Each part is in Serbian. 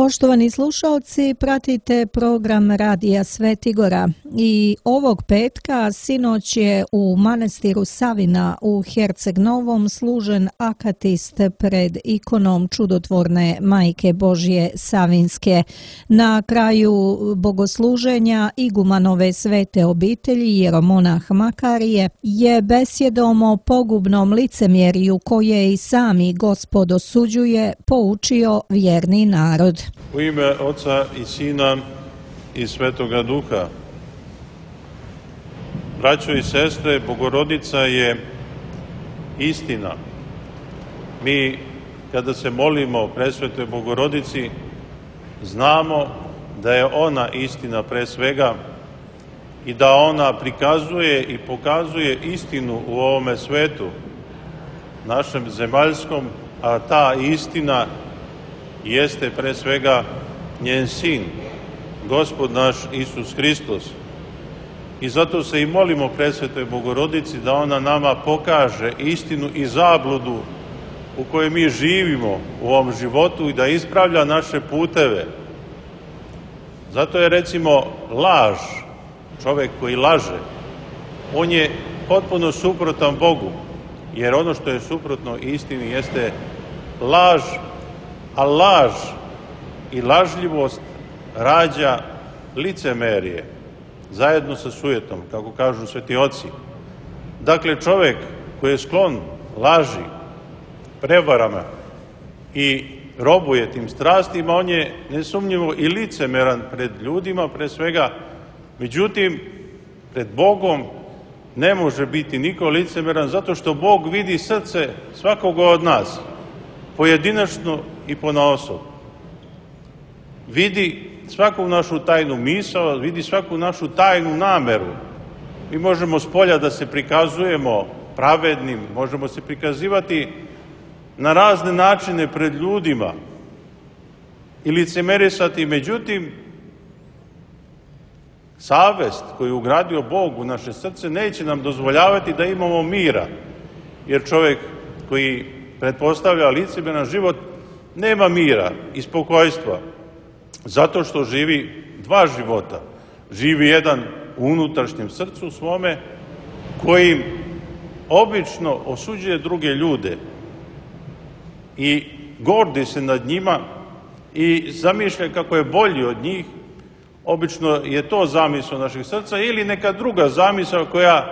Poštovani slušalci, pratite program Radija Svetigora i ovog petka sinoć je u manastiru Savina u Herceg Novom služen akatist pred ikonom čudotvorne Majke Božje Savinske. Na kraju bogosluženja igumanove svete obitelji jeromonah Makarije je besjedom o pogubnom licemjerju koje i sami Gospod osuđuje poučio vjerni narod. U ime Oca i Sina i Svetoga Duha. Braćo i sestre, Bogorodica je istina. Mi, kada se molimo Presvetoj Bogorodici, znamo da je ona istina pre svega i da ona prikazuje i pokazuje istinu u ovome svetu, našem zemaljskom, a ta istina jeste pre svega njen sin, Gospod naš Isus Hristos. I zato se i molimo Presvetoj Bogorodici da ona nama pokaže istinu i zabludu u kojoj mi živimo u ovom životu i da ispravlja naše puteve. Zato je recimo laž, čovek koji laže, on je potpuno suprotan Bogu, jer ono što je suprotno istini jeste laž, a laž i lažljivost rađa licemerje, zajedno sa sujetom, kako kažu sveti oci. Dakle, čovek koji je sklon laži, prevarama i robuje tim strastima, on je nesumnjivo i licemeran pred ljudima, pre svega. Međutim, pred Bogom ne može biti niko licemeran, zato što Bog vidi srce svakoga od nas, pojedinačno i ponaosob. Vidi svaku našu tajnu misao, vidi svaku našu tajnu nameru. Mi možemo spolja da se prikazujemo pravednim, možemo se prikazivati na razne načine pred ljudima i licemerisati, međutim, savest koju je ugradio Bog u naše srce neće nam dozvoljavati da imamo mira, jer čovjek koji pretpostavlja licemeran život nema mira i spokojstva, zato što živi dva života. Živi jedan u unutrašnjem srcu svome, kojim obično osuđuje druge ljude i gordi se nad njima i zamišlja kako je bolji od njih. Obično je to zamisao naših srca ili neka druga zamisao koja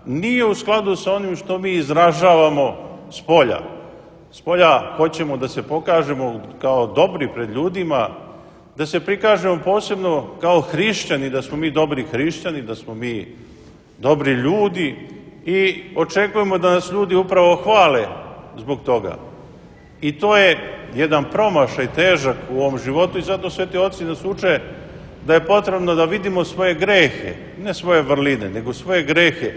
nije u skladu sa onim što mi izražavamo spolja. Spolja hoćemo da se pokažemo kao dobri pred ljudima, da se prikažemo posebno kao hrišćani, da smo mi dobri hrišćani, da smo mi dobri ljudi i očekujemo da nas ljudi upravo hvale zbog toga. I to je jedan promašaj težak u ovom životu i zato sveti oci nas uče da je potrebno da vidimo svoje grehe, ne svoje vrline, nego svoje grehe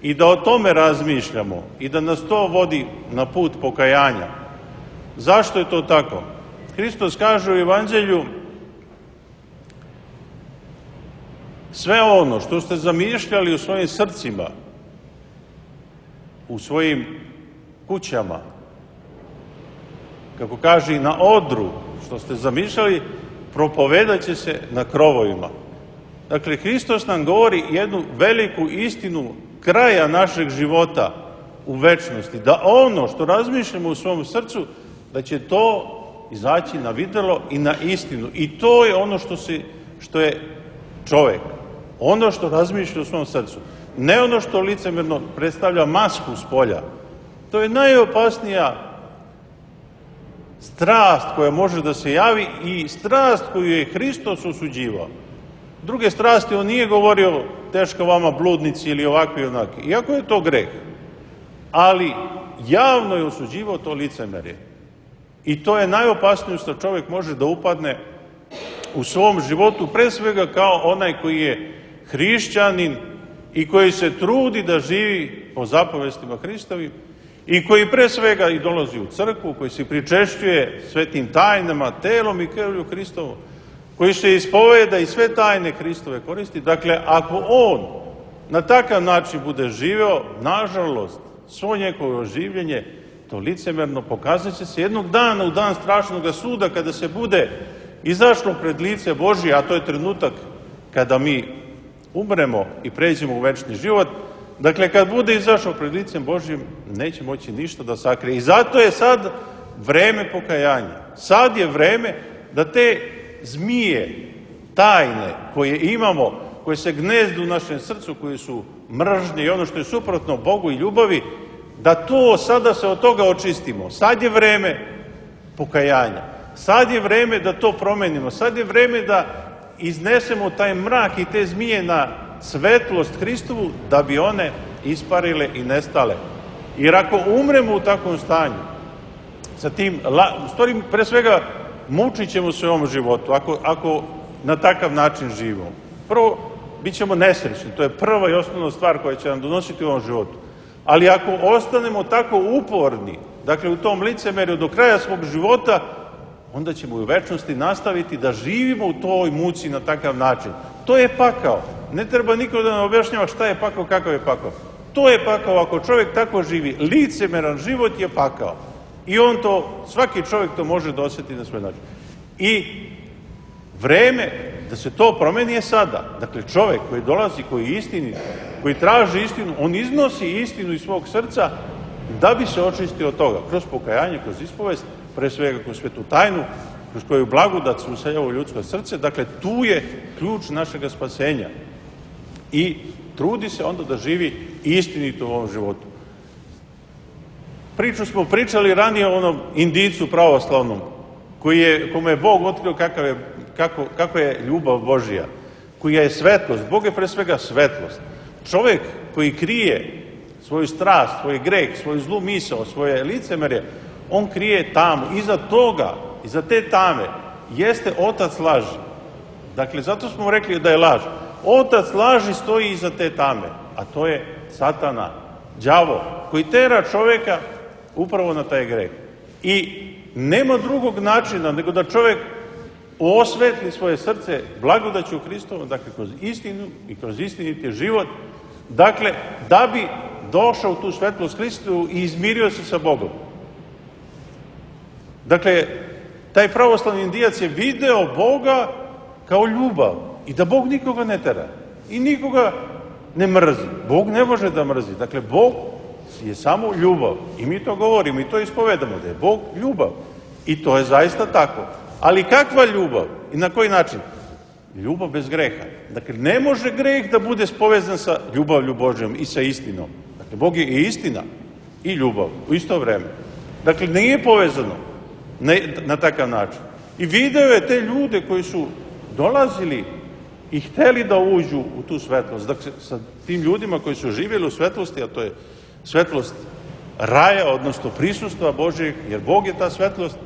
i da o tome razmišljamo i da nas to vodi na put pokajanja. Zašto je to tako? Hristos kaže u Evanđelju: sve ono što ste zamišljali u svojim srcima, u svojim kućama, kako kaže i na odru, što ste zamišljali, propovedat će se na krovovima. Dakle, Hristos nam govori jednu veliku istinu kraja našeg života u večnosti, da ono što razmišljamo u svom srcu, da će to izaći na videlo i na istinu. I to je ono što je čovek, ono što razmišlja u svom srcu. Ne ono što licemerno predstavlja masku spolja. To je najopasnija strast koja može da se javi i strast koju je Hristos osuđivao. Druge strasti on nije govorio teško vama bludnici ili ovakvi i onaki, iako je to greh. Ali javno je osuđivao to licemerje. I to je najopasnije što čovjek može da upadne u svom životu, pre svega kao onaj koji je hrišćanin i koji se trudi da živi po zapovestima Hristovim i koji pre svega i dolazi u crkvu, koji se pričešćuje svetim tajnama, telom i krvlju Hristovom, koji se ispoveda i sve tajne Hristove koristi. Dakle, ako on na takav način bude živeo, nažalost, svo njegovo življenje, to licemerno pokazat će se jednog dana, u dan strašnog suda, kada se bude izašlo pred lice Božje, a to je trenutak kada mi umremo i pređemo u večni život, dakle, kad bude izašao pred licem Božjim, neće moći ništa da sakrije. I zato je sad vreme pokajanja. Sad je vreme da te zmije, tajne koje imamo, koje se gnezdu u našem srcu, koje su mržnje i ono što je suprotno Bogu i ljubavi, da to sada se od toga očistimo. Sad je vreme pokajanja. Sad je vreme da to promenimo. Sad je vreme da iznesemo taj mrak i te zmije na svetlost Hristovu, da bi one isparile i nestale. Jer ako umremo u takvom stanju, sa tim, u stvari, pre svega, mučit ćemo se u ovom životu, ako na takav način živimo. Prvo, bit ćemo nesrećni, to je prva i osnovna stvar koja će nam donositi u ovom životu. Ali ako ostanemo tako uporni, dakle u tom licemerju do kraja svog života, onda ćemo u večnosti nastaviti da živimo u toj muci na takav način. To je pakao. Ne treba niko da nam objašnjava šta je pakao, kakav je pakao. To je pakao, ako čovjek tako živi. Licemeran život je pakao. I on to, svaki čovjek to može da osjeti na svoj način. I vreme da se to promeni je sada. Dakle, čovjek koji dolazi, koji je istinit, koji traži istinu, on iznosi istinu iz svog srca da bi se očistio od toga. Kroz pokajanje, kroz ispovest, pre svega kroz svetu tajnu, kroz koju blagodat se useljava u ljudsko srce. Dakle, tu je ključ našeg spasenja. I trudi se onda da živi istinito u ovom životu. Priču smo pričali ranije o onom Indijcu pravoslavnom, kome je Bog otkrio kako je ljubav Božija, koja je svetlost. Bog je pre svega svetlost. Čovjek koji krije svoju strast, svoj greh, svoju zlu misao, svoje licemerje, on krije tamu. Iza toga, iza te tame, jeste otac laži. Dakle, zato smo rekli da je laž. Otac laži stoji iza te tame, a to je Satana, đavo, koji tera čovjeka upravo na taj greh. I nema drugog načina nego da čovjek osvetli svoje srce blagodaću Hristovom, dakle kroz istinu i kroz istiniti život, dakle da bi došao u tu svetlost Hristovu i izmirio se sa Bogom. Dakle, taj pravoslavni Indijac je video Boga kao ljubav i da Bog nikoga ne tera i nikoga ne mrzi. Bog ne može da mrzi. Dakle, Bog je samo ljubav. I mi to govorimo i to ispovedamo, da je Bog ljubav. I to je zaista tako. Ali kakva ljubav i na koji način? Ljubav bez greha. Dakle, ne može greh da bude povezan sa ljubavlju Božjom i sa istinom. Dakle, Bog je i istina i ljubav u isto vreme. Dakle, nije povezano na takav način. I video je te ljude koji su dolazili i hteli da uđu u tu svetlost. Dakle, sa tim ljudima koji su živjeli u svetlosti, a to je svetlost raja, odnosno prisustva Božjeg, jer Bog je ta svetlost.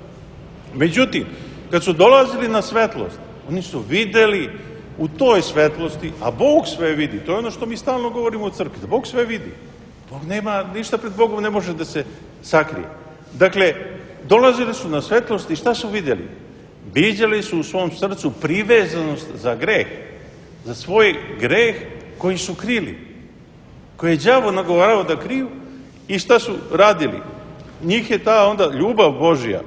Međutim, kad su dolazili na svetlost, oni su videli u toj svetlosti, a Bog sve vidi. To je ono što mi stalno govorimo u crkvi, da Bog sve vidi. Bog nema, ništa pred Bogom ne može da se sakrije. Dakle, dolazili su na svetlost i šta su vidjeli? Viđali su u svom srcu privezanost za greh, za svoj greh koji su krili, koje je đavo nagovarao da kriju. I šta su radili? Njih je ta onda ljubav Božja,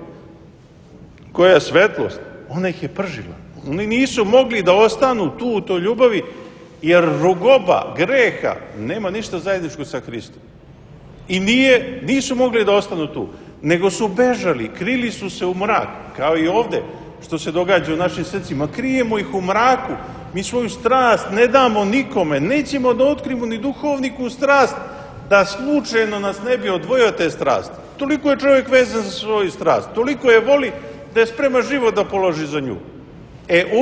koja je svetlost, ona ih je pržila. Oni nisu mogli da ostanu tu u toj ljubavi, jer rugoba greha nema ništa zajedničko sa Hristom. I nisu mogli da ostanu tu, nego su bežali, krili su se u mrak, kao i ovde što se događa u našim srcima. Krijemo ih u mraku, mi svoju strast ne damo nikome, nećemo da otkrimo ni duhovniku strast, da slučajno nas ne bi odvojio te strasti. Toliko je čovjek vezan za svoju strast, toliko je voli da je spreman život da položi za nju.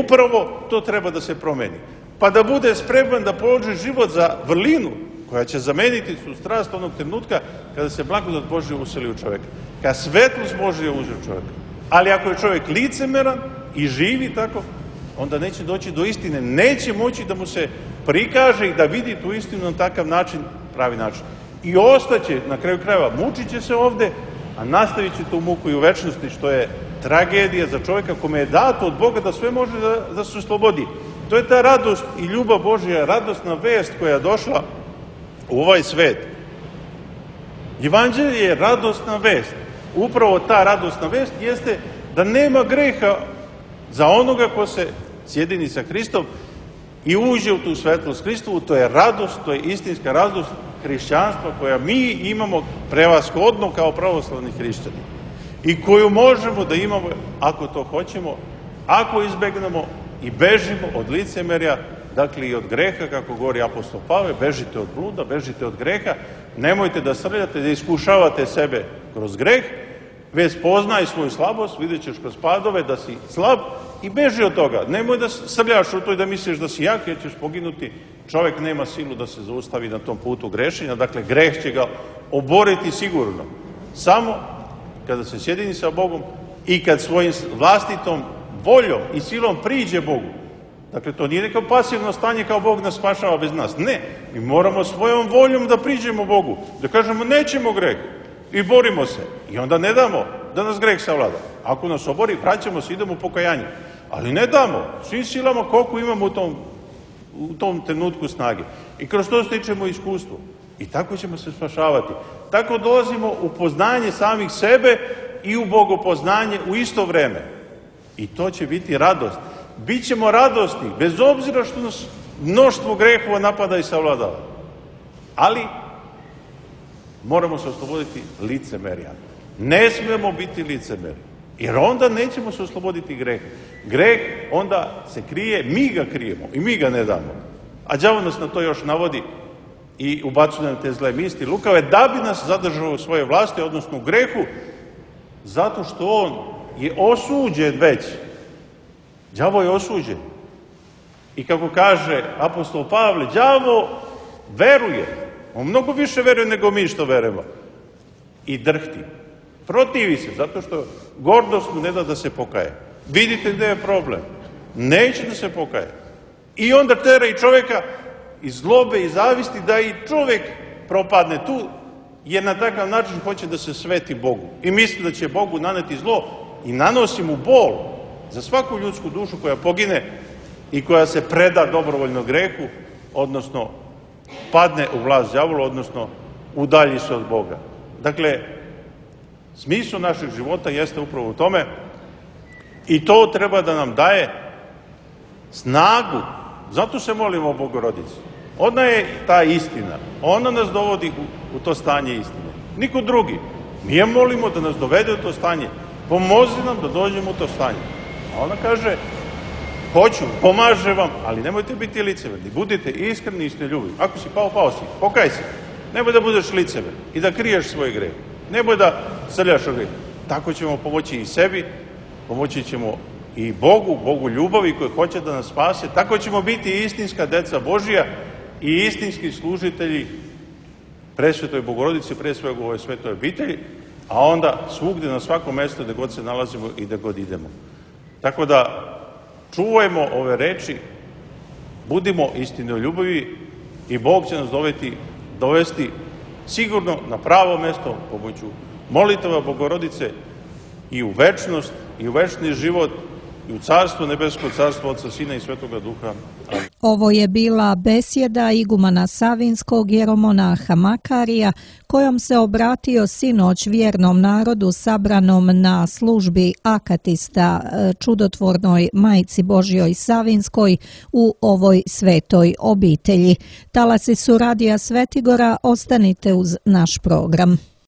Upravo to treba da se promeni. Pa da bude spreman da položi život za vrlinu koja će zameniti tu strast onog trenutka kada se blagodat Božja useli u čovjeka. Kada svetlost Božja uđe u čovjeka. Ali ako je čovjek licemeran i živi tako, onda neće doći do istine. Neće moći da mu se prikaže i da vidi tu istinu na takav način, pravi način. I ostaće, na kraju krajeva, mučit će se ovde, a nastavit će tu muku i u večnosti, što je tragedija za čovjeka kome je dato od Boga da sve može da se oslobodi. To je ta radost i ljubav Božja, radosna vest koja je došla u ovaj svet. Evanđelje je radosna vest. Upravo ta radosna vest jeste da nema greha za onoga ko se sjedini sa Hristom i uđe u tu svetlost Hristovu. To je radost, to je istinska radost hrišćanstva koja mi imamo prevashodno kao pravoslavni hrišćani i koju možemo da imamo ako to hoćemo, ako izbegnemo i bežimo od licemerja, dakle i od greha, kako govori apostol Pavle, bežite od bluda, bežite od greha, nemojte da srljate, da iskušavate sebe kroz greh, već poznaj svoju slabost, vidjet ćeš kroz padove da si slab i beži od toga. Nemoj da srljaš u to i da misliš da si jak jer ćeš poginuti. Čovjek nema silu da se zaustavi na tom putu grešenja, dakle greh će ga oboriti sigurno. Samo kada se sjedini sa Bogom i kad svojim vlastitom voljom i silom priđe Bogu. Dakle, to nije neko pasivno stanje kao Bog nas spašava bez nas. Ne, mi moramo svojom voljom da priđemo Bogu, da kažemo nećemo greh i borimo se. I onda ne damo da nas greh savlada. Ako nas obori, vraćamo se, idemo u pokajanje. Ali ne damo, svim silama koliko imamo u tom trenutku snage. I kroz to stičemo iskustvo. I tako ćemo se spašavati. Tako dolazimo u poznanje samih sebe i u bogopoznanje u isto vreme. I to će biti radost. Bićemo radosni, bez obzira što nas mnoštvo grehova napada i savladava. Ali moramo se osloboditi licemerja. Ne smemo biti licemeri, jer onda nećemo se osloboditi greha. Greh onda se krije, mi ga krijemo i mi ga ne damo. A đavo nas na to još navodi i ubacuje nam te zle misli lukave, da bi nas zadržao u svoje vlasti, odnosno u grehu, zato što on je osuđen već. Đavo je osuđen. I kako kaže apostol Pavle, đavo veruje. On mnogo više veruje nego mi što verujemo. I drhti. Protivi se, zato što gordost mu ne da da se pokaje. Vidite gde je problem. Neće da se pokaje. I onda tera i čovjeka iz zlobe i zavisti da i čovjek propadne tu, jer na takav način hoće da se sveti Bogu. I misli da će Bogu naneti zlo i nanosi mu bol za svaku ljudsku dušu koja pogine i koja se preda dobrovoljno grehu, odnosno padne u vlast đavola, odnosno udalji se od Boga. Dakle, smisao našeg života jeste upravo u tome i to treba da nam daje snagu. Zato se molimo o Bogorodici. Ona je ta istina. Ona nas dovodi u to stanje istine. Niko drugi. Mi je molimo da nas dovede u to stanje. Pomozi nam da dođemo u to stanje. A ona kaže, hoću, pomaže vam, ali nemojte biti licemerni. Budite iskreni i istinoljubivi. Ako si pao, pao si. Pokaj se. Nemoj da budeš licemer i da kriješ svoj greh. Nemoj da srljaš o greh. Tako ćemo pomoći i sebi, pomoći ćemo i Bogu ljubavi koji hoće da nas spase. Tako ćemo biti istinska deca Božija i istinski služitelji presvetoj Bogorodici, pre svega u ovoj svetoj obitelji, a onda svugde na svakom mestu gde god se nalazimo i gde god idemo. Tako da čuvajmo ove reči, budimo istinoljubivi i Bog će nas dovesti sigurno na pravo mesto pomoću molitava Bogorodice i u večnost i u večni život i u Carstvo nebesko, Carstvo Otca, Sina i Svetoga Duha. Ovo je bila besjeda igumana Savinskog jeromonaha Makarija, kojom se obratio sinoć vjernom narodu sabranom na službi akatista čudotvornoj Majci Božjoj Savinskoj u ovoj svetoj obitelji. Talasi su Radija Svetigora, ostanite uz naš program.